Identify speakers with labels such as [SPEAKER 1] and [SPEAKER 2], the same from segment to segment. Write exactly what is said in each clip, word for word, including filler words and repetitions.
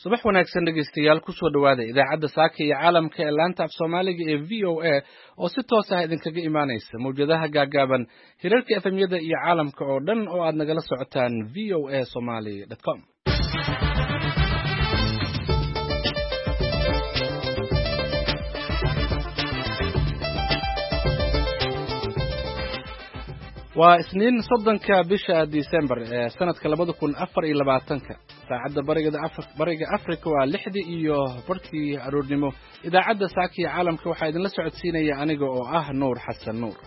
[SPEAKER 1] Subax wanaagsan dhegeystayaal, kusoo dhawaada idaacadda saaka iyo caalamka ee laanta af Soomaaliga ee V O A oo si toos ah idinkaga imaanaysa mawjadaha gaagaaban, hirarka F M-yada iyo caalamka oo dhan oo aad nagala socotaan V O A Somali com. Waa Isniin, soddonka bisha Disembar ee sanadka labada kun afar iyo labaatanka. Saacadda Bariga Africa waa lixdii iyo barhkii aroornimo. Idaacadda saaka iyo caalamka waxaa idinla socodsiinaya aniga oo ah Nuur Xasan Nuur.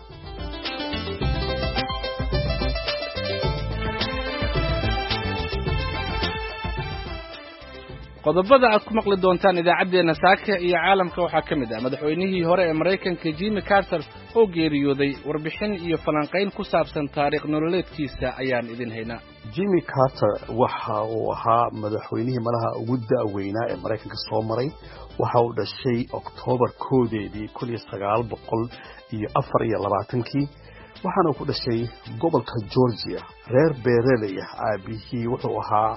[SPEAKER 1] Qodobada aad ku maqli doontaan idaacaddeenna saaka iyo caalamka waxaa ka mid ah madaxweynihii hore ee Maraykanka Jimmy Carter oo geeriyooday. Warbixin iyo falanqayn ku saabsan taariikh nololeedkiisa ayaan idin haynaa.
[SPEAKER 2] Jimmy Carter waxa uu ahaa madaxweynihii malaha ugu da'weynaa ee Maraykanka soo maray. Waxa uu dhashay Oktoobar koodeedii kun iyo sagaal boqol iyo afar iyo labaatankii, waxaana ku dhashay gobolka Georgia, reer beeraley ah. Aabihii wuxuu ahaa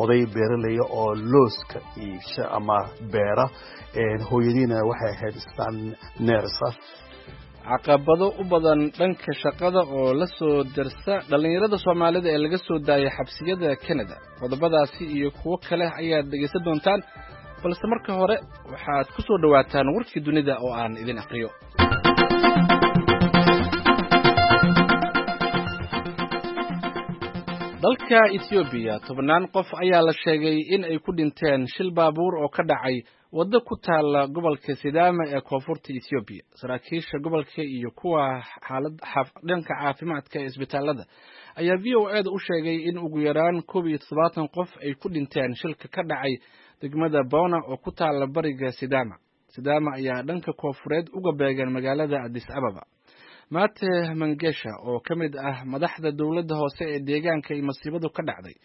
[SPEAKER 2] oday beeraleya oo looska iibsha ama beera, hooyadiina waxay ahayd islaan nurse ah.
[SPEAKER 1] Caqabado u badan dhanka shaqada oo la soo darsa dhallinyarada Soomaalida ee laga soo daayay xabsiyada Canada. Qodobadaasi iyo kuwo kale ayaad dhegaysan doontaan, balse marka hore waxaad ku soo dhowaataan warkii dunida oo aan idin aqriyo. Dalka Ethoobiya, tobannaan qof ayaa la sheegay in ay ku dhinteen shil baabuur oo ka dhacay waddo ku taalla gobolka Sidaama ee koonfurta Ethoobiya. Saraakiisha gobolka iyo kuwa xaalad dhanka caafimaadka ee isbitaalada ayaa V O A da u sheegay in ugu yaraan koob iyo toddobaatan qof ay ku dhinteen shilka ka dhacay degmada Bona oo ku taalla bariga Sidaama. Sidaama ayaa dhanka koonfureed uga beegan magaalada Addis Ababa. Mate Mangesha oo ka mid ah madaxda dowladda hoose ee deegaanka ay masiibadu ka dhacday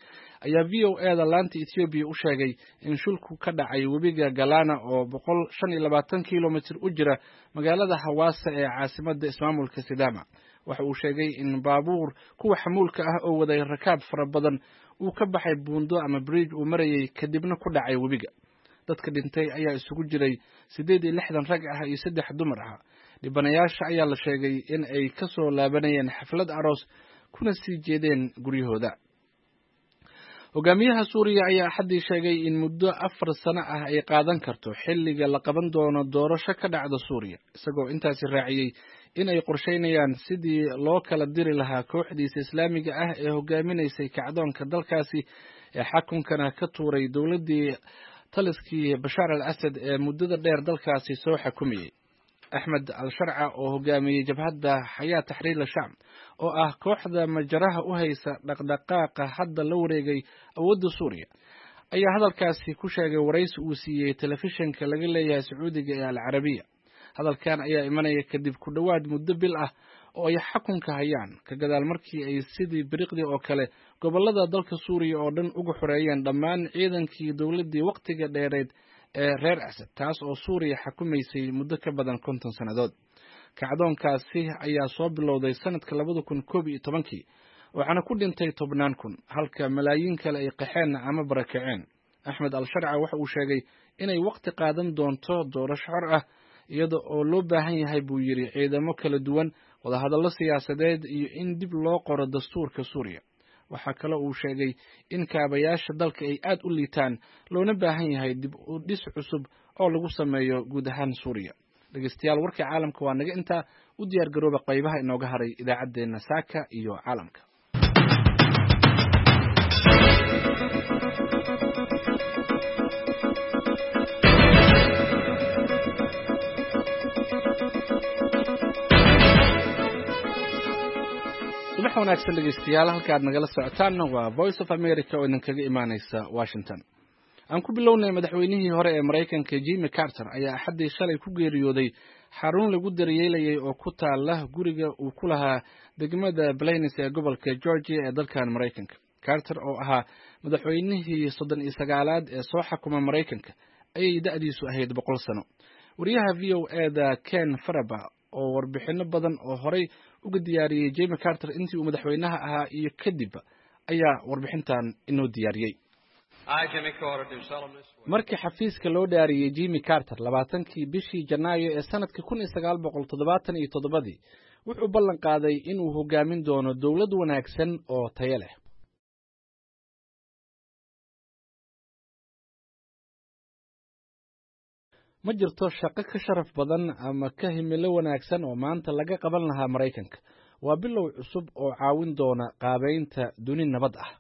[SPEAKER 1] ayaa V O A da laanta Ethoobiya u sheegay in shilku ka dhacay webiga Galana oo boqol shan iyo labaatan kilomitir u jira magaalada Hawaasa ee caasimadda ismaamulka Sidaama. Waxa uu sheegay in baabuur kuwa xamuulka ah oo waday rakaab fara badan uu ka baxay buundo ama bridge uu marayay, kadibna ku dhacay webiga. Dadka dhintay ayaa isugu jiray siddeed iyo lixdan rag ah iyo saddex dumar ah. Dhibanayaasha ayaa la sheegay in ay ka soo laabanayeen xaflad aroos kuna sii jeedeen guryahooda. Hogaamiyaha Suuriya ayaa Axaddii sheegay in muddo afar sano ah ay qaadan karto xilliga la qaban doono doorasho ka dhacda Suuriya, isagoo intaasi raaciyey in ay qorsheynayaan sidii loo kala diri lahaa kooxdiisa Islaamiga ah ee hogaaminaysay kacdoonka dalkaasi ee xakunkana ka tuuray dowladdii taliskii Bashaar al Asad ee muddada dheer dalkaasi soo xakumayey. Axmed al Sharca oo hogaamiyey jabhadda Xayaa Taxriir Shaam oo ah kooxda majaraha u haysa dhaqdhaqaaqa hadda la wareegay awoodda Suuriya ayaa hadalkaasi ku sheegay waraysi uu siiyey telefishinka laga leeyahay Sacuudiga ee Al Carabiya. Hadalkan ayaa imanaya kadib ku dhowaad muddo bil ah oo ay xakunka hayaan, ka gadaal markii ay sidii biriqdii oo kale gobollada dalka Suuriya oo dhan uga xoreeyeen dhammaan ciidankii dowladdii wakhtiga dheereed ee reer Asad, taas oo Suuriya xakumaysay muddo ka badan konton sannadood. Kacdoonkaasi ayaa soo bilowday sanadka labada kun koob iyo tobankii, waxaana ku dhintay tobnaan kun, halka malaayiin kale ay qaxeen ama barakaceen. Axmed al Sharca waxa uu sheegay inay wakhti qaadan doonto doorasho xor ah, iyada oo loo baahan yahay, buu yidhi, ciidamo kala duwan, wadahadallo siyaasadeed iyo in dib loo qoro dastuurka Suuriya. Waxaa kaloo uu sheegay in kaabayaasha dalka ay aad u liitaan, loona baahan yahay dib u dhis cusub oo lagu sameeyo guud ahaan Suuriya. Dhegeystayaal, warka caalamka waa naga intaa. U diyaar garooba qaybaha inooga haray idaacaddeenna saaka iyo caalamka. Subax wanaagsan dhegeystayaal, halka aad nagala socotaanna waa Voice of America oo idinkaga imaaneysa Washington. Aan ku bilownay, madaxweynihii hore ee Maraykanka Jimmy Carter ayaa Axaddii shalay ku geeriyooday xarun lagu daryeelayay oo ku taala guriga uu ku lahaa degmada Plains ee gobolka Georgia ee dalkan Maraykanka. Carter oo ahaa madaxweynihii soddon iyo sagaalaad ee soo xakuma Maraykanka ayay da'diisu ahayd boqol sano. Wariyaha V O A da Ken Faraba oo warbixino badan oo horey uga diyaariyey Jimmy Carter intii uu madaxweynaha ahaa iyo kadib ayaa warbixintan inoo diyaariyey. Markii xafiiska loo dhaariyey Jimmy Carter labaatankii bishii Janaayo ee sanadkii kun iyo sagaal boqol toddobaatan iyo toddobadii, wuxuu ballan qaaday inuu hogaamin doono dowlad wanaagsan oo tayo leh. Ma jirto shaqo ka sharaf badan ama ka himilo wanaagsan oo maanta laga qaban lahaa Maraykanka. Waa bilow cusub oo caawin doona qaabaynta duni nabad ah.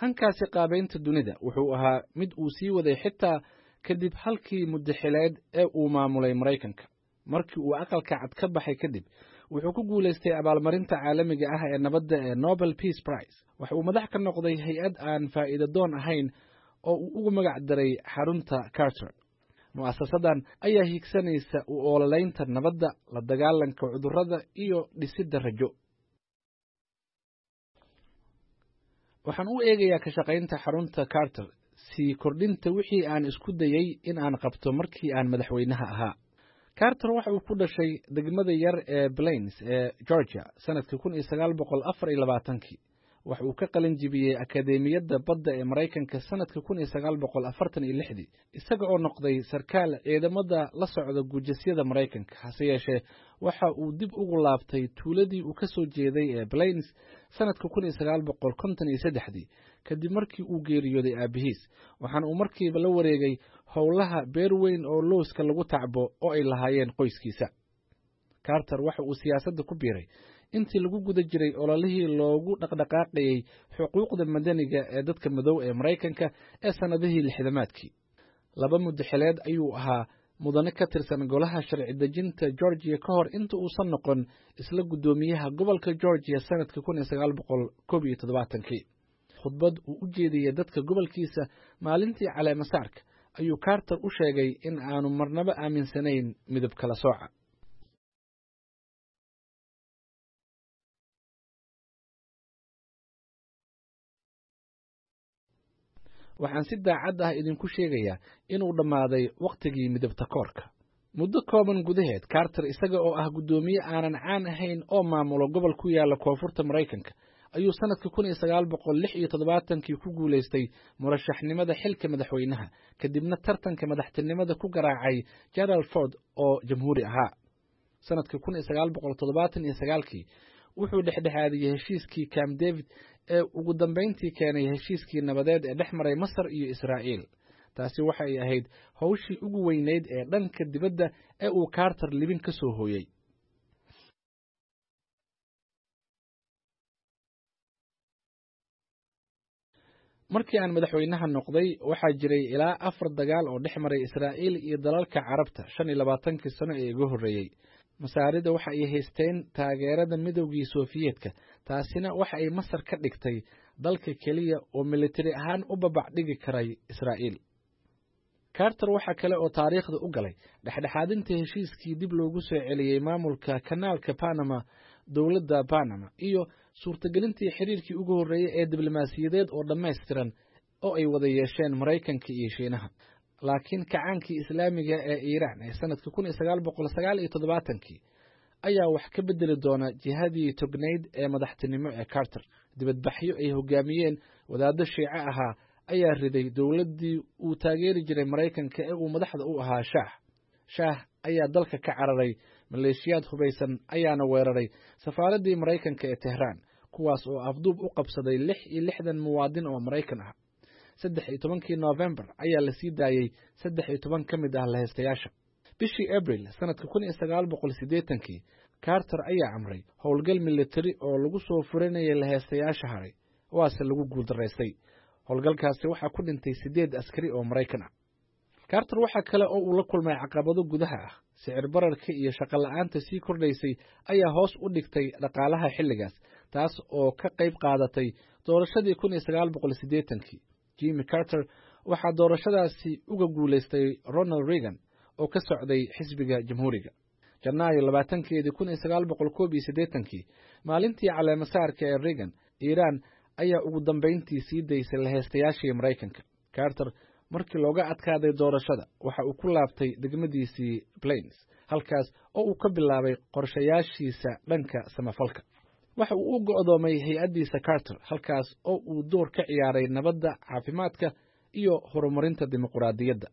[SPEAKER 1] Hankaasi qaabaynta dunida wuxuu ahaa mid uu sii waday xitaa kadib halkii muddaxileed ee uu maamulay Maraykanka. Markii uu Aqalka Cad ka baxay kadib, wuxuu ku guulaystay abaalmarinta caalamiga ah ee nabadda ee Nobel Peace Prize. Waxa uu madax ka noqday hay-ad aan faa'iido doon ahayn oo uu ugu magac daray Xarunta Carter. Mu'asasadan ayaa hiigsanaysa u ololaynta nabadda, la dagaalanka cudurrada iyo dhisidda rajo. Waxaan u eegayaa ka shaqaynta Xarunta Carter sii kordhinta wixii aan isku dayay in aan qabto markii aan madaxweynaha ahaa. Carter waxa uu ku dhashay degmada yar ee Plains ee Georgia sanadkii kun iyo sagaal boqol afar iyo labaatankii. Waxa uu ka qalin jibiyey Akadeemiyadda Badda ee Maraykanka sanadkii kun iyo sagaal boqol afartan iyo lixdii, isaga oo noqday sarkaal ciidamada la socda guujasyada Maraykanka. Hase yeeshee, waxa uu dib ugu laabtay tuuladii uu ka soo jeeday ee Plains sanadkii kun iyo sagaal boqol konton iyo saddexdii, kadib markii uu geeriyooday aabihiis, waxaana uu markiiba la wareegay howlaha beer weyn oo lowska lagu tacbo oo ay lahaayeen qoyskiisa. Carter waxa uu siyaasadda ku biiray intii lagu guda jiray ololihii loogu dhaqdhaqaaqayey xuquuqda madaniga ee dadka madow ee Maraykanka ee sannadihii lixdamaadkii. Laba muddaxileed ayuu ahaa mudane ka tirsan golaha sharci dejinta Georgia ka hor inta uusan noqon isla guddoomiyaha gobolka Georgia sanadkii kun iyo sagaal boqol koob iyo toddobaatankii. Khudbad uu u jeediyey dadka gobolkiisa maalintii caleemasaarka ayuu Carter u sheegay in aanu marnaba aaminsanayn midab kala sooca. Waxaan si daacad ah idinku sheegayaa inuu dhammaaday wakhtigii midabta koorka. Muddo kooban gudaheed, Carter isaga oo ah guddoomiye aanan caan ahayn oo maamulo gobol ku yaala koonfurta Maraykanka ayuu sanadkii kun iyo sagaal boqol lix iyo toddobaatankii ku guulaystay murashaxnimada xilka madaxweynaha, kadibna tartanka madaxtinimada ku garaacay Gerald Ford oo jamhuuri ahaa. Sanadkii kun iyo sagaal boqol toddobaatan iyo sagaalkii wuxuu dhexdhexaadiyey heshiiskii Camp David ee ugu dambayntii keenay heshiiskii nabadeed ee dhex maray Masar iyo Israa'iil. Taasi waxa ay ahayd howshii ugu weynayd ee dhanka dibadda ee uu Carter libin ka soo hooyey. Markii aan madaxweynaha noqday, waxaa jiray ilaa afar dagaal oo dhex maray Israa'iil iyo dalalka Carabta shan iyo labaatankii sano ee iga horreeyey. Masaarida waxa ay haysteen taageerada Midowgii Sofiyeetka, taasina waxa ay Masar ka dhigtay dalka keliya oo militari ahaan u babac dhigi karay Israa'iil. Carter waxa kale oo taariikhda u galay dhexdhexaadinta heshiiskii dib loogu soo celiyey maamulka Kanaalka Panama dowladda Panama iyo suurtagelintii xiriirkii ugu horreeyey ee diblomaasiyadeed oo dhammaystiran oo ay wada yeesheen Maraykanka iyo Shiinaha. Laakiin kacaankii Islaamiga ee Iiraan ee sanadkii kun iyo sagaal boqol sagaal iyo toddobaatankii ayaa wax ka bedeli doona jihadii tognayd ee madaxtinimo ee Carter. Dibadbaxyo ay hogaamiyeen wadaaddo Shiice ahaa ayaa riday dowladdii uu taageeri jiray Maraykanka ee uu madaxda u ahaa Shaah. Shaah ayaa dalka ka cararay, maleeshiyaad hubaysan ayaana weeraray safaaraddii Maraykanka ee Tehraan, kuwaas oo afduub u qabsaday lix iyo lixdan muwaadin oo Maraykan ah. Saddex iyo tobankii Noofembar ayaa la sii daayey saddex iyo toban ka mid ah lahaystayaasha. Bishii Abril sanadka kun iyo sagaal boqol siddeetankii, Carter ayaa amray howlgal militari oo lagu soo furinayay lahaystayaasha haray, waase lagu guuldaraystay. Howlgalkaasi waxaa ku dhintay siddeed askari oo Maraykan ah. Carter waxa kale oo uu la kulmay caqabado gudaha ah. Sicir bararka iyo shaqo la'aanta sii kordhaysay ayaa hoos u dhigtay dhaqaalaha xilligaas, taas oo ka qayb qaadatay doorashadii kun iyo sagaal boqol siddeetankii. Jimmy Carter waxaa doorashadaasi uga guulaystay Ronald Reagan oo ka socday xisbiga Jamhuuriga. Janaayo labaatankeedii kun iyo sagaal boqol koob iyo siddeetankii, maalintii caleemasaarka ee Reagan, Iiraan ayaa ugu dambayntii sii daysay lahaystayaashii Maraykanka. Carter markii looga adkaaday doorashada waxa uu ku laabtay degmadiisii Plains, halkaas oo uu ka bilaabay qorshayaashiisa dhanka samafalka. Waxa uu u go'doomay hay-addiisa Carter, halkaas oo uu door ka ciyaaray nabadda, caafimaadka iyo horumarinta dimuqraadiyadda.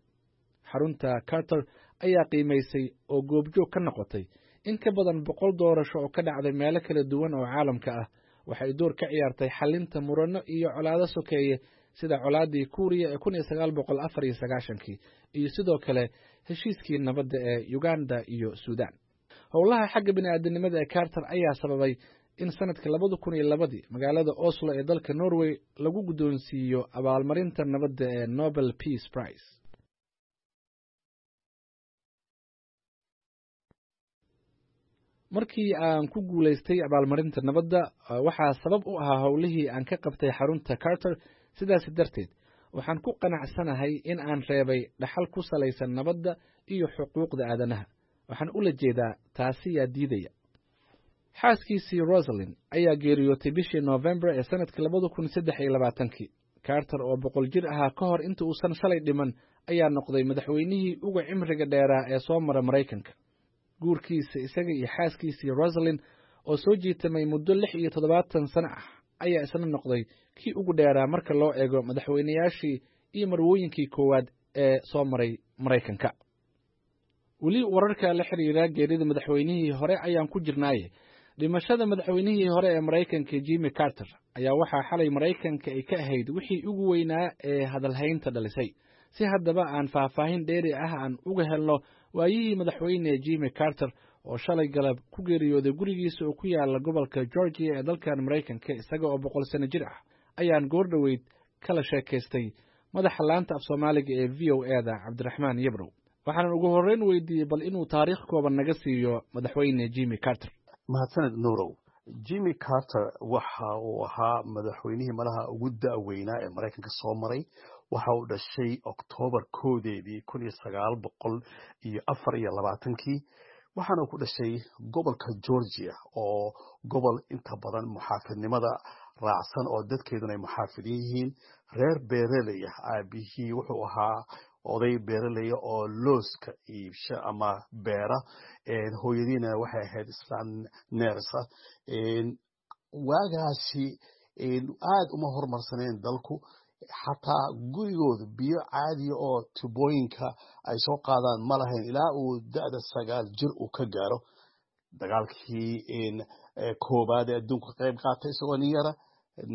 [SPEAKER 1] Xarunta Carter ayaa qiimaysay oo goobjoog ka noqotay in ka badan boqol doorasho oo ka dhacday meelo kala duwan oo caalamka ah. Waxay door ka ciyaartay xalinta muranno iyo colaado sokeeye, sida colaadii Kuuriya ee kun iyo sagaal boqol afar iyo sagaashankii iyo sidoo kale heshiiskii nabadda ee Uganda iyo Suudaan. Howlaha xagga bini'aadanimada ee Carter ayaa sababay in sanadka labada kun iyo labadii magaalada Oslo ee dalka Norway lagu guddoonsiiyo abaalmarinta nabadda ee Nobel Peace Prize. Markii aan ku guulaystay abaalmarinta nabadda, waxaa sabab u ahaa howlihii aan ka qabtay xarunta Carter. Sidaas darteed waxaan ku qanacsanahay in aan reebay dhaxal ku salaysan nabadda iyo xuquuqda aadanaha. Waxaan ula jeedaa, taasi yaa diidaya? Xaaskiisii Rosalin ayaa geeriyootay bishii Novembar ee sanadkii labada kun saddex iyo labaatankii. Carter oo boqol jir ahaa ka hor inta uusan shalay dhiman ayaa noqday madaxweynihii uga cimriga dheeraa ee soo mara Maraykanka. Guurkiisa isaga iyo xaaskiisii Rosalin oo soo jiitamay muddo lix iyo toddobaatan sano ah ayaa isna noqday kii ugu dheeraa marka loo eego madaxweynayaashii iyo marwooyinkii koowaad ee soo maray Maraykanka. Weli wararka la xiriira geerida madaxweynihii hore ayaan ku jirnaaye, dhimashada madaxweynihii hore ee Maraykanka Jimmy Carter ayaa waxaa xalay Maraykanka ay ka ahayd wixii ugu weynaa ee hadalhaynta dhalisay. Si haddaba aan faahfaahin dheeri ah aan uga helno waayihii madaxweyne Jimmy Carter oo shalay galab ku geeriyooday gurigiisa oo ku yaala gobolka Georgia ee dalkan Maraykanka isaga oo boqol sano jir ah, ayaan goor dhoweyd kala sheekaystay madaxa laanta af Soomaaliga ee V O E da, Cabdiraxmaan Yabrow. Waxaanan ugu horreyn weydiiyey bal inuu taariikh kooban naga siiyo madaxweyne Jimmy Carter.
[SPEAKER 2] Mahadsaned, Nurow. Jimmy Carter waxa uu ahaa madaxweynihii malaha ugu da'weynaa ee Maraykanka soo maray. Waxa uu dhashay Oktoobar koodeedii kun iyo sagaal boqol iyo afar iyo labaatankii, waxaana ku dhashay gobolka Georgia, oo gobol inta badan muxaafidnimada raacsan oo dadkeeduna ay muxaafidin yihiin, reer beeraley ah. Aabihii wuxuu ahaa oday beeraleya oo looska iibsha ama beera, hooyadiina waxay ahayd islaan neersa. Waagaasi aad uma horumarsaneen dalku, xataa gurigooda biyo caadiya oo tubooyinka ay soo qaadaan ma lahayn ilaa uu da'da sagaal jir uu ka gaaro. Dagaalkii koobaad ee adduunka ka qayb qaatay isagoo nin yara,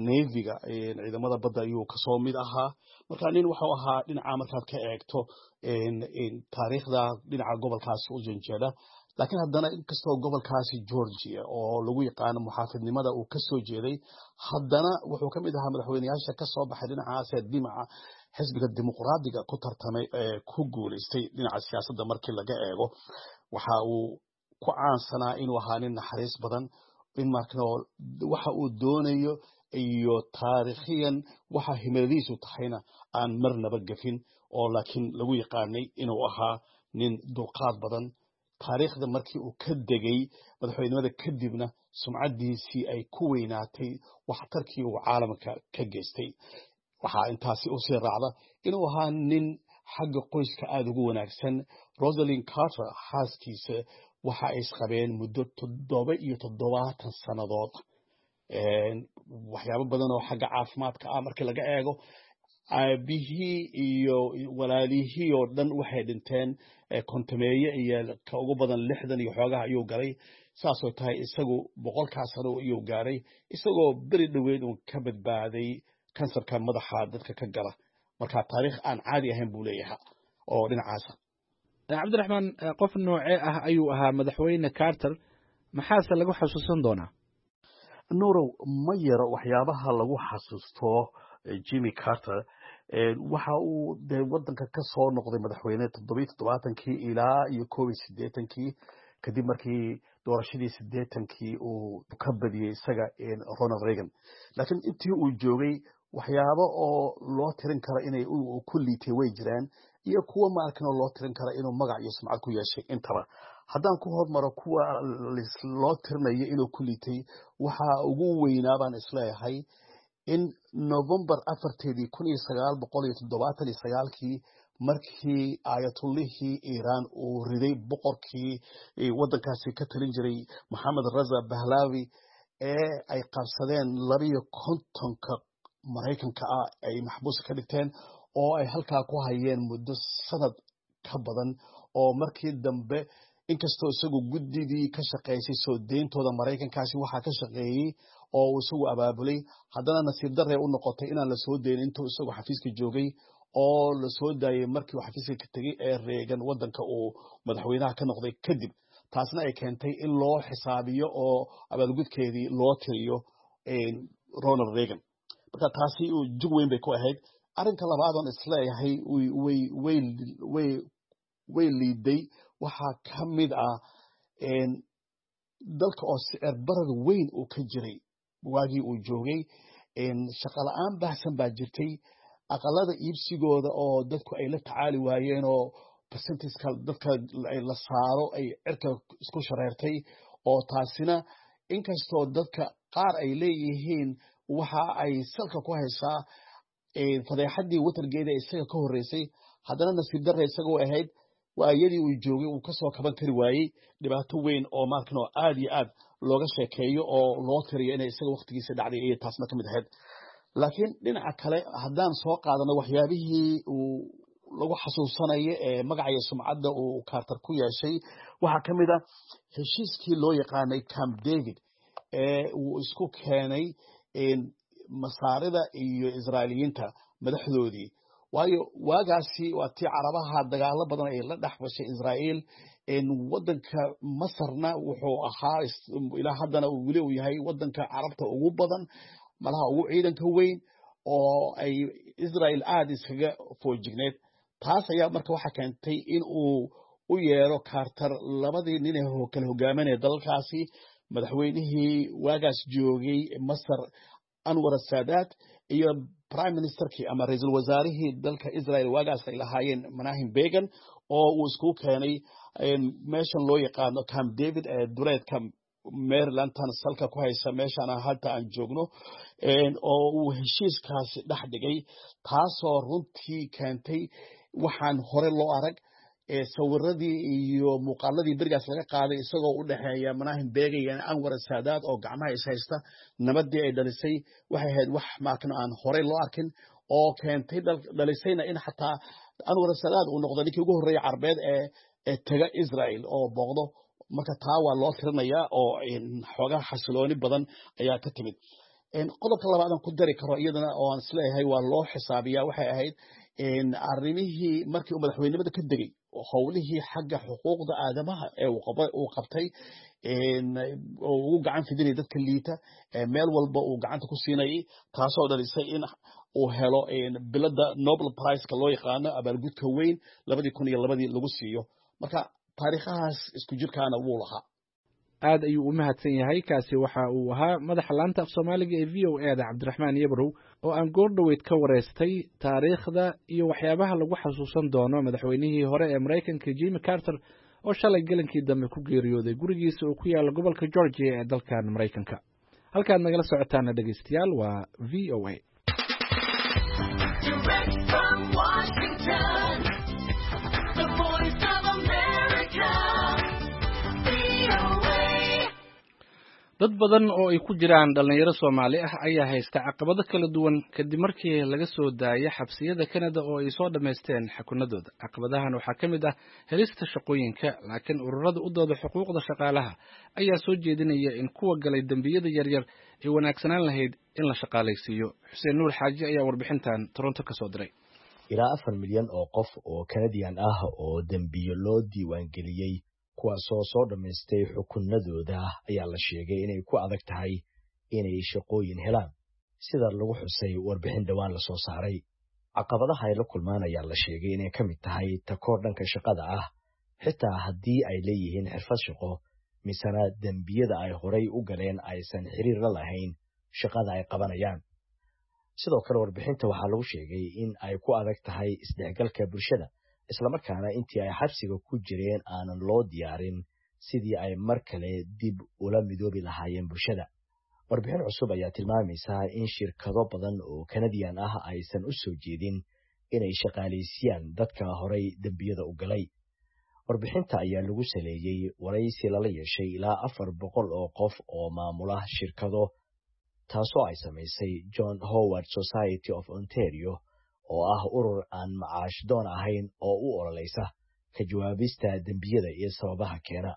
[SPEAKER 2] Navy-ga, ciidamada badda, ayuu kasoo mid ahaa. Marka nin wuxuu ahaa dhinaca markaad ka eegto taariikhda dhinaca gobolkaasi u janjeeda. Laakiin haddana, inkastoo gobolkaasi Georgia oo lagu yaqaano muxaafidnimada uu kasoo jeeday, haddana wuxuu ka mid ahaa madaxweyneyaasha kasoo baxay dhinacaas dhinaca xisbiga Dimuqraadiga ku tartamay ee ku guuleystay. Dhinaca siyaasadda markii laga eego, waxa uu ku caansanaa inuu ahaa nin naxariis badan, in markano waxa uu doonayo iyo taariikhiyan waxa himiladiisu tahayna aan marnaba gafin, oo laakiin lagu yaqaanay inuu ahaa nin dulqaad badan. Taariikhda markii uu ka degay madaxweynimada kadibna, sumcaddiisii ay ku weynaatay waxtarkii uu caalamka ka geystay. Waxaa intaasi usii raacda inuu ahaa nin xagga qoyska aada ugu wanaagsan. Rosalin Carter xaaskiisa waxa ay isqabeen muddo toddoba iyo toddobaatan sannadood. Waxyaabo badan oo xagga caafimaadka ah markii laga eego, aabihii iyo walaalihii oo dhan waxay dhinteen kontameeye iyo ka ugu badan lixdan iyo xoogaha ayuu galay. Saasoo tahay isagu boqolkaa sano ayuu gaaray, isagoo beri dhoweyd uun ka badbaaday kansarka madaxa dadka ka gala. Marka taariikh aan caadi ahayn buu leeyahay oo dhinacaasa.
[SPEAKER 1] Cabdiraxmaan, qof noocee ah ayuu ahaa madaxweyne Carter? Maxaase lagu xasuusan doonaa?
[SPEAKER 2] Nurow, ma yaro waxyaabaha lagu xasuusto Jimmy Carter. Waxa uu dee wadanka ka soo noqday madaxweyne toddobiyo toddobaatankii ilaa iyo koob iyo siddeetankii, kadib markii doorashadii siddeetankii uu ka badiyey isaga Ronald Reagan. Laakiin intii uu joogay waxyaabo oo loo tirin karo inay ku liitay way jiraan, iyo kuwa maarkanoo loo tirin kara inuu magac iyo sumcad ku yeeshay intaba. Haddaan ku hormaro kuwa loo tirinayo inuu ku liitay, waxa ugu weynaa baan isleeyahay in Novembar afarteedii kun iyo sagaal boqol iyo toddobaatan iyo sagaalkii, markii Ayatullihii Iiraan uu riday boqorkii waddankaasi ka talin jiray, Moxamed Raza Bahlawi, ee ay qabsadeen labiyo kontonka Maraykanka ah ay maxbuuska ka dhigteen. oo ay halkaa ku hayeen muddo sanad ka badan, oo markii dambe inkastoo isagu guddidii ka shaqaysay soo deyntooda Maraykankaasi waxaa ka shaqeeyey oo uu isagu abaabulay, haddana nasiib darre u noqotay inaan la soo deynin intuu isagu xafiiska joogay, oo la soo daayay markii uu xafiiska ka tegey ee Reagan waddanka uu madaxweynaha ka noqday kadib. Taasna ay keentay in loo xisaabiyo oo abaalgudkeedii loo tiriyo Ronald Reagan. Marka taasi jug weyn bay ku ahayd. Arrinka labaadoon isleeyahay way way way way liiday waxaa ka mid ah dalka oo sicir barar weyn uu ka jiray waagii uu joogay. Shaqo la-aan baahsan baa jirtay, aqalada iibsigooda oo dadku ay la tacaali waayeen oo percentageka dadka la saaro ay cirka isku shareertay, oo taasina inkastoo dadka qaar ay leeyihiin waxa ay salka ku haysaa fadeexaddii Watergate isaga ka horreysay, haddana nasiib darre isagoo ahayd waayadii uu joogay uu kasoo kaban kari waayey dhibaato weyn oo maalkan oo aad iyo aad looga sheekeeyo oo loo tiriyo inay isaga waqtigiisa dhacday iyo taasna ka mid ahayd. Laakiin dhinaca kale haddaan soo qaadano waxyaabihii uu lagu xasuusanayo ee magaca iyo sumcadda uu Carter ku yeeshay, waxaa ka mid ah heshiiskii loo yaqaanay Camp David ee uu isku keenay Masaarida iyo Israailiyiinta madaxdoodii. Waayo waagaasi waa tii Carabaha dagaalo badan ay la dhex gashay Israa'iil. Waddanka Masarna wuxuu ahaa, ilaa haddana weli uu yahay, waddanka Carabta ugu badan, malaha ugu ciidanka weyn, oo ay Israel aada iskaga foojigneed. Taas ayaa marka waxaa keentay in uu u yeero Carter labadii nin ee kala hogaaminaya dalalkaasi, madaxweynihii waagaas joogay Masar Anwar Saadaat iyo prime ministerkii ama ra-iisul wasaarihii dalka Israel waagaas ay lahaayeen Menachem Begin, oo uu isku keenay meeshan loo yaqaano Camp David ee duleedka Marylandtan salka ku haysa meeshaan hadda aan joogno, oo uu heshiiskaasi dhex dhigay, taasoo runtii keentay waxaan hore loo arag. Sawiradii iyo muuqaaladii berigaas laga qaaday isagoo u dhexeeya Menachem Begin iyo Anwar Saadaat oo gacmaha is haysta, nabadii ay dhalisay waxay ahayd wax maakan aan horey loo arkin, oo keentay dhalisayna in xataa Anwar Saadaat uu noqdo ninkii ugu horreeyay Carbeed ee ee taga Israel oo booqdo. Marka taa waa loo tirinayaa oo xoogaha xasilooni badan ayaa ka timid. Qodobka labaad aan ku dari karo iyadana oo aan isleeyahay waa loo xisaabiyaa waxay ahayd arrimihii markii uu madaxweynimada ka degay, howlihii xagga xuquuqda aadamaha ee uu qabtay oo ugu gacan fidinaya dadka liita, meel walba uu gacanta ku siinayay, taasoo dhalisay in uu helo bilada Nobel Prizeka loo yaqaano, abaalgudka weyn labadii kun iyo labadii lagu siiyo. Marka taariikhahaas isku jirkaana wuu lahaa.
[SPEAKER 1] Aad ayuu u mahadsan yahay. Kaasi waxa uu ahaa madaxa laanta af Soomaaliga ee V O A da, Cabdiraxmaan Yabrow, oo aan goordhoweyd ka wareystay taariikhda iyo waxyaabaha lagu xasuusan doono madaxweynihii hore ee Maraykanka Jimmy Carter, oo shalay gelinkii dambe ku geeriyooday gurigiisa uu ku yaalo gobolka Georgia ee dalkan Maraykanka. Halkaad nagala socotaana, dhegeystayaal, waa V O A.
[SPEAKER 3] Direct from Washington, the Voice of America, V O A.
[SPEAKER 1] Dad badan oo ay ku jiraan dhallinyaro Soomaali ah ayaa haysta caqabado kala duwan kadib markii laga soo daayay xabsiyada Kanada oo ay soo dhammaysteen xukunadooda. Caqabadahan waxaa ka mid ah helista shaqooyinka, laakiin ururada u dooda xuquuqda shaqaalaha ayaa soo jeedinaya in kuwa galay dembiyada yaryar ay wanaagsanaan lahayd in la shaqaalaysiiyo. Xuseen Nuur Xaaji ayaa warbixintan Toronto ka soo diray.
[SPEAKER 4] Ilaa afar milyan oo qof oo Kanadiyan ah oo dembiyo loo diiwaangeliyey, kuwaasoo soo dhammaystay xukunadooda, ayaa la sheegay inay ku adag tahay inay shaqooyin helaan, sida lagu xusay warbixin dhowaan lasoo saaray. Caqabadaha ay la kulmaan ayaa la sheegay inay ka mid tahay takoor dhanka shaqada ah, xitaa haddii ay leeyihiin xirfad shaqo, misena dembiyada ay horay u galeen aysan xiriir la lahayn shaqada ay qabanayaan. Sidoo kale warbixinta waxaa lagu sheegay in ay ku adag tahay isdhexgalka bulshada, islamarkaana intii ay xabsiga ku jireen aanan loo diyaarin sidii ay mar kale dib ula midoobi lahaayeen bulshada. Warbixin cusub ayaa tilmaamaysa in shirkado badan oo Kanadiyan ah aysan u soo jeedin inay shaqaalaysiiyaan dadka horay dembiyada u galay. Warbixinta ayaa lagu saleeyey waraysi lala yeeshay ilaa afar boqol oo qof oo maamula shirkado, taasoo ay samaysay John Howard Society of Ontario oo ah urur aan macaash doon ahayn oo u ololaysa ka jawaabista dembiyada iyo sababaha keena.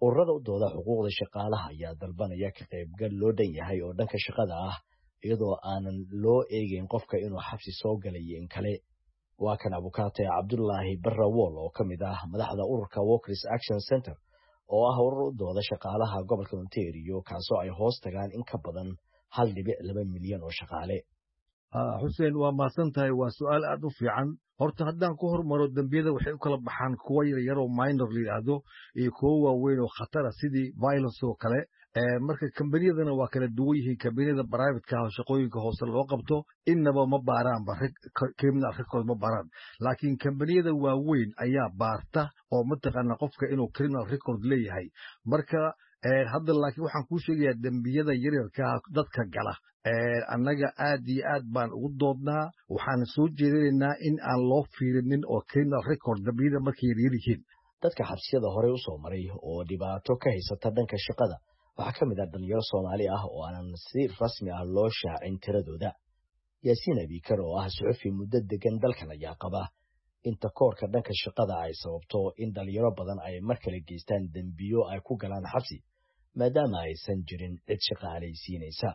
[SPEAKER 4] Ururada u dooda xuquuqda shaqaalaha ayaa dalbanaya ka qaybgal loo dhan yahay oo dhanka shaqada ah, iyadoo aanan loo eegeyn qofka inuu xabsi soo galay iyo in kale. Waa kan abukaate Cabdulaahi Barrawool oo ka mid ah madaxda ururka Workers Action Center, oo ah urur u dooda shaqaalaha gobolka Ontario, kaasoo ay hoos tagaan in ka badan hal dhibic laba milyan oo shaqaale.
[SPEAKER 5] Xuseen, waa mahadsan tahay, waa su'aal aad u fiican. Horta haddaan ku hormaro, dembiyada waxay u kala baxaan kuwo yaryaroo minor la yidhaahdo iyo kuwo waaweyn oo khatara, sidii violence oo kale. Marka kambaniyadana waa kala duwan yihiin. Kambaniyada privateka ah oo shaqooyinka hoose loo qabto innaba ma baaraanba, criminal record ma baaraan, laakiin kambaniyada waaweyn ayaa baarta oo mataqaana qofka inuu criminal record leeyahay. Marka hadda laakiin waxaan kuu sheegayaa, dembiyada yaryarkaa dadka gala annaga aad iyo aad baan ugu doodnaa. Waxaan soo jeedinaynaa in aan loo fiirinin oo criminal record dembiyada markay yaryar yihiin.
[SPEAKER 4] Dadka xabsiyada horey u soo maray oo dhibaato ka haysata dhanka shaqada waxaa ka mid ah dhalinyaro Soomaali ah oo aanan si rasmi ah loo shaacin tiradooda. Yaasiin Abiikar oo ah suxufi muddo degan dalkan ayaa qaba in takoorka dhanka shaqada ay sababto in dhalinyaro badan ay mar kale geystaan dembiyo ay ku galaan xabsi, maadaama aysan jirin cid shaqaalaysiinaysa.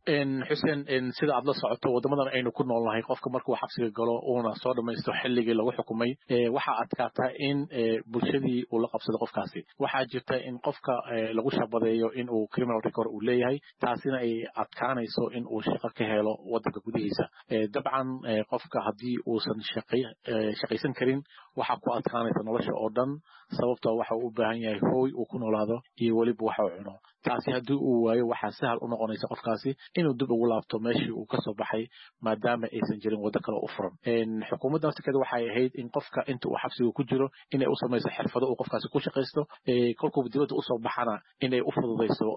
[SPEAKER 6] Xuseen, sida aad la socoto, waddamadan aynu ku noolnahay, qofka markuu xabsiga galo uuna soo dhamaysto xilligii lagu xukumay, waxaa adkaata in bulshadii uu la qabsado qofkaasi. Waxaa jirta in qofka lagu shabadeeyo in uu criminal record uu leeyahay, taasina ay adkaanayso in uu shaqo ka helo waddanka gudihiisa. Dabcan qofka haddii uusan shaqaysan karin, waxaa ku adkaanaysa nolosha oo dhan, sababtoo waxa uu u baahan yahay hooy uu ku noolaado iyo weliba waxa uu cuno. Taasi haddii uu waayo, waxaa sahal u noqonaysa qofkaasi inuu dib ugu laabto meeshii uu kasoo baxay, maadaama aysan jirin waddo kale u furan. Xukuumadda naftirkeeda waxay ahayd in qofka inta uu xabsiga ku jiro inay u samayso xirfado uu qofkaasi ku shaqaysto, kolkuuba dibadda usoo baxana inay u fududayso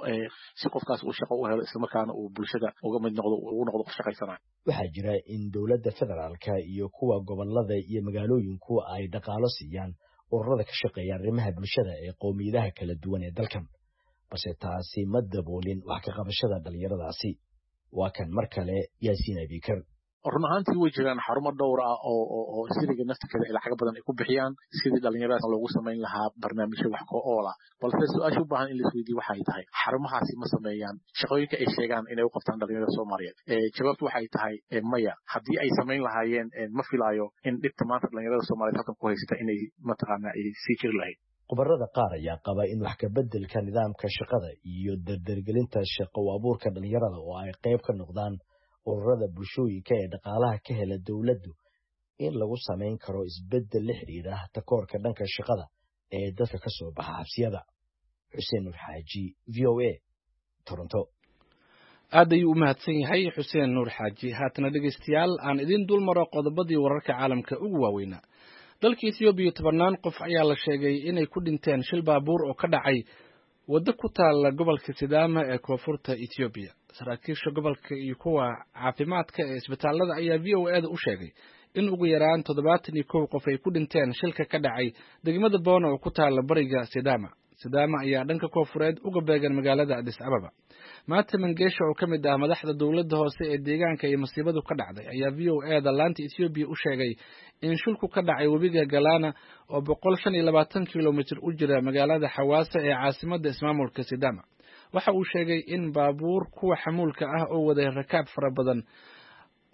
[SPEAKER 6] si qofkaasi uu shaqo u helo, islamarkaana uu bulshada uga mid noqdo, ugu noqdo qof shaqaysanayo.
[SPEAKER 4] Waxaa jira in dowladda federaalka iyo kuwa gobolada iyo magaalooyinku ay dhaqaalo siiyaan ururada ka shaqeeya arrimaha bulshada ee qowmiyadaha kala duwan ee dalkan, balse taasi ma daboolin wax ka qabashada dhalinyaradaasi. Waa kan mar kale Yaasiin Abiikar.
[SPEAKER 6] Run ahaantii way jiraan xarumo dhowr ah oo oo siriga naftirkeeda ay lacago badan ay ku bixiyaan sidii dhalinyaradaas loogu samayn lahaa barnaamijyo wax ku oola, balse su-aasha u baahan in la isweydiiyo waxay tahay, xarumahaasi ma sameeyaan shaqooyinka ay sheegaan inay u qabtaan dhalinyarada Soomaaliyeed? Jawaabtu waxay tahay maya. Haddii ay samayn lahaayeen, ma filaayo in dhibta maanta dhalinyarada Soomaaliyeed halkan ku haysata inay mataqaana ay sii jiri lahayd.
[SPEAKER 4] Khubarada qaar ayaa qaba in wax ka beddelka nidaamka shaqada iyo dardargelinta shaqo u abuurka dhalinyarada oo ay qayb ka noqdaan ururada bulshooyinka ee dhaqaalaha ka hela dowladdu in lagu samayn karo isbeddel la xidhiidha takoorka dhanka shaqada ee dadka ka soo baxa xabsiyada. Xuseen Nuur Xaaji, V O A, Toronto.
[SPEAKER 1] Aad ayuu u mahadsan yahay Xuseen Nuur Xaaji. Haatana dhegaystayaal, aan idiin dul maro qodobadii wararka caalamka ugu waaweynaa. Dalka Ethoobiya, tobannaan qof ayaa la sheegay inay ku dhinteen shil baabuur oo ka dhacay waddo ku taalla gobolka Sidaama ee koonfurta Ethoobiya. Saraakiisha gobolka iyo kuwa caafimaadka ee isbitaallada ayaa V O A da u sheegay in ugu yaraan toddobaatan iyo kow qof ay ku dhinteen shilka ka dhacay degmada Boona oo ku taalla bariga Sidaama. Sidaama ayaa dhanka koonfureed uga beegan magaalada Addis Ababa. Maata Mangeesha oo ka mid ah madaxda dowladda hoose ee deegaanka iyo masiibadu ka dhacday ayaa V O A da laanta Ethoobiya u sheegay in shilku ka dhacay webiga Galana oo boqol shan iyo labaatan kilomitir u jira magaalada Xawaasa ee caasimadda ismaamulka Sidaama. Waxa uu sheegay in baabuur kuwa xamuulka ah oo waday rakaab fara badan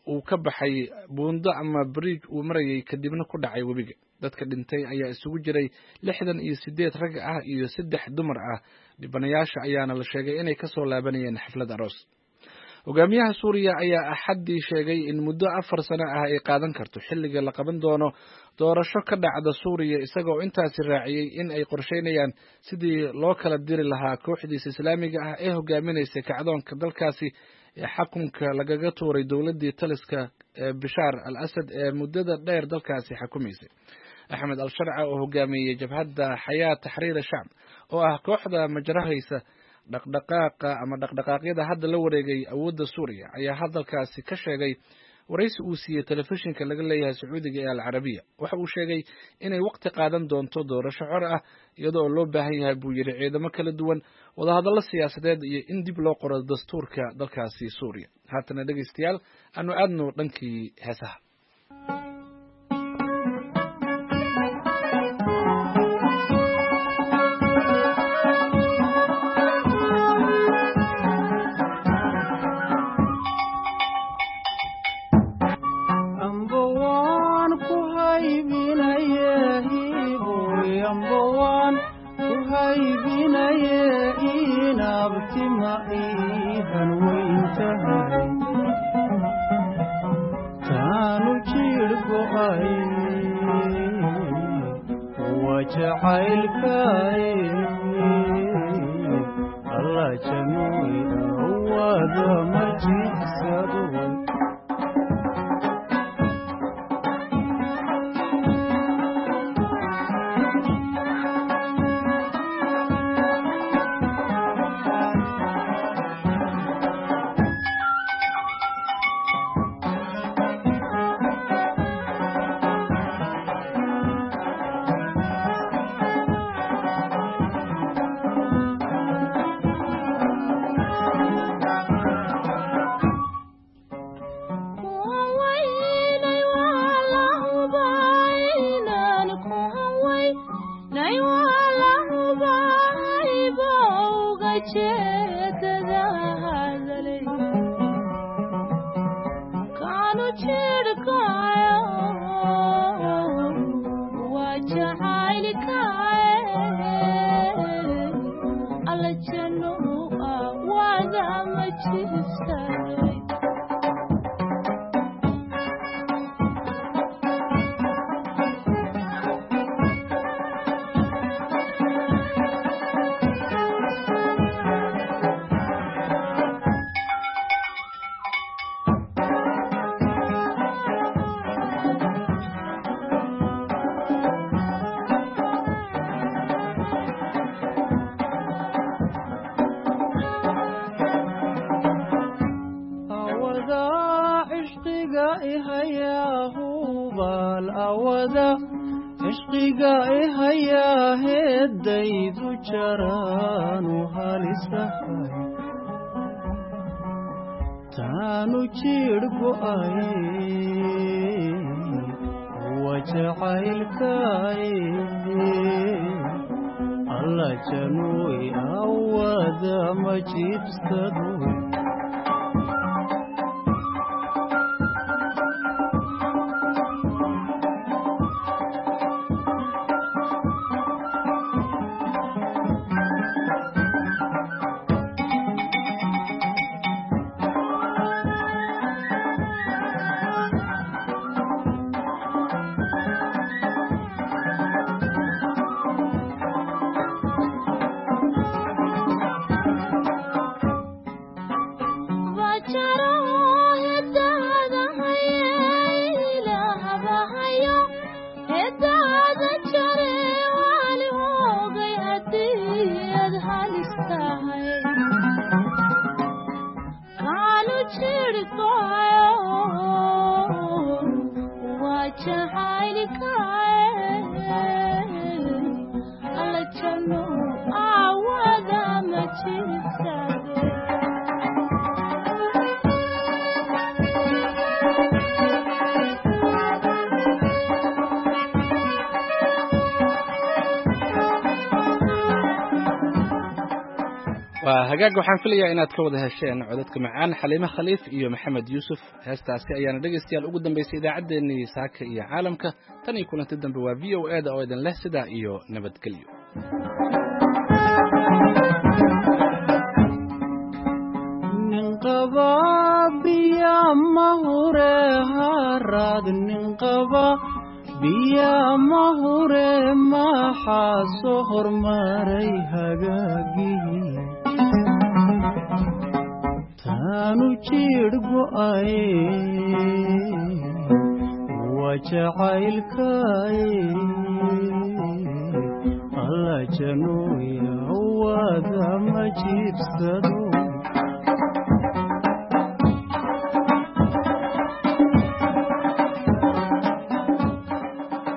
[SPEAKER 1] uu ka baxay buundo ama bridge uu marayay, kadibna ku dhacay webiga. Dadka dhintay ayaa isugu jiray lixdan iyo siddeed rag ah iyo saddex dumar ah. Dhibanayaasha ayaana la sheegay inay kasoo laabanayeen xaflad aroos. Hogaamiyaha Suuriya ayaa Axaddii sheegay in muddo afar sano ah ay qaadan karto xilliga la qaban doono doorasho ka dhacda Suuriya, isagoo intaasi raaciyey in ay qorsheynayaan sidii loo kala diri lahaa kooxdiisa Islaamiga ah ee hogaaminaysa kacdoonka dalkaasi ee xakunka lagaga tuuray dowladdii taliska ee Bishaar al Asad ee muddada dheer dalkaasi xakumaysay. Axmed al Sharca oo hogaamiyey jabhadda Xayaa Taxriir Shacb oo ah kooxda majarahaysa dhaqdhaqaaqa ama dhaqdhaqaaqyada hadda la wareegay awoodda Suuriya ayaa hadalkaasi ka sheegay waraysi uu siiyey telefishinka laga leeyahay Sacuudiga ee Al Carabiya. Waxa uu sheegay inay waqti qaadan doonto doorasho xor ah, iyadoo loo baahan yahay, buu yidhi, ciidamo kala duwan, wadahadallo siyaasadeed iyo in dib loo qoro dastuurka dalkaasi Suuriya. Haatana dhegaystayaal, aanu aadno dhankii heesaha.
[SPEAKER 7] Laabtima iihan weyntahay taanu jiir go'ay waa jacaylkay alla januy awada ma jiibsado. Taanu jiir go'ay waa jacaylkay alla januy awada ma jiibsado.
[SPEAKER 1] Waa hagaag, waxaan filayaa inaad ka wada hesheen codadka macaan Xaliime Khaliif iyo Maxamed Yuusuf. Heestaasi ayaana dhegaystayaal ugu dambaysay idaacaddeenii saaka iyo caalamka. Tan iyo kulanti dambe waa V O A da oo idin leh sidaa iyo nabadgelyo.
[SPEAKER 7] Nin qaba biya ma hure haraad, nin qaba biya ma hure maxaa soo hormaray hagaagii taanu jiir go'ay waa jacaylkay alla januy awada ma jiibsado.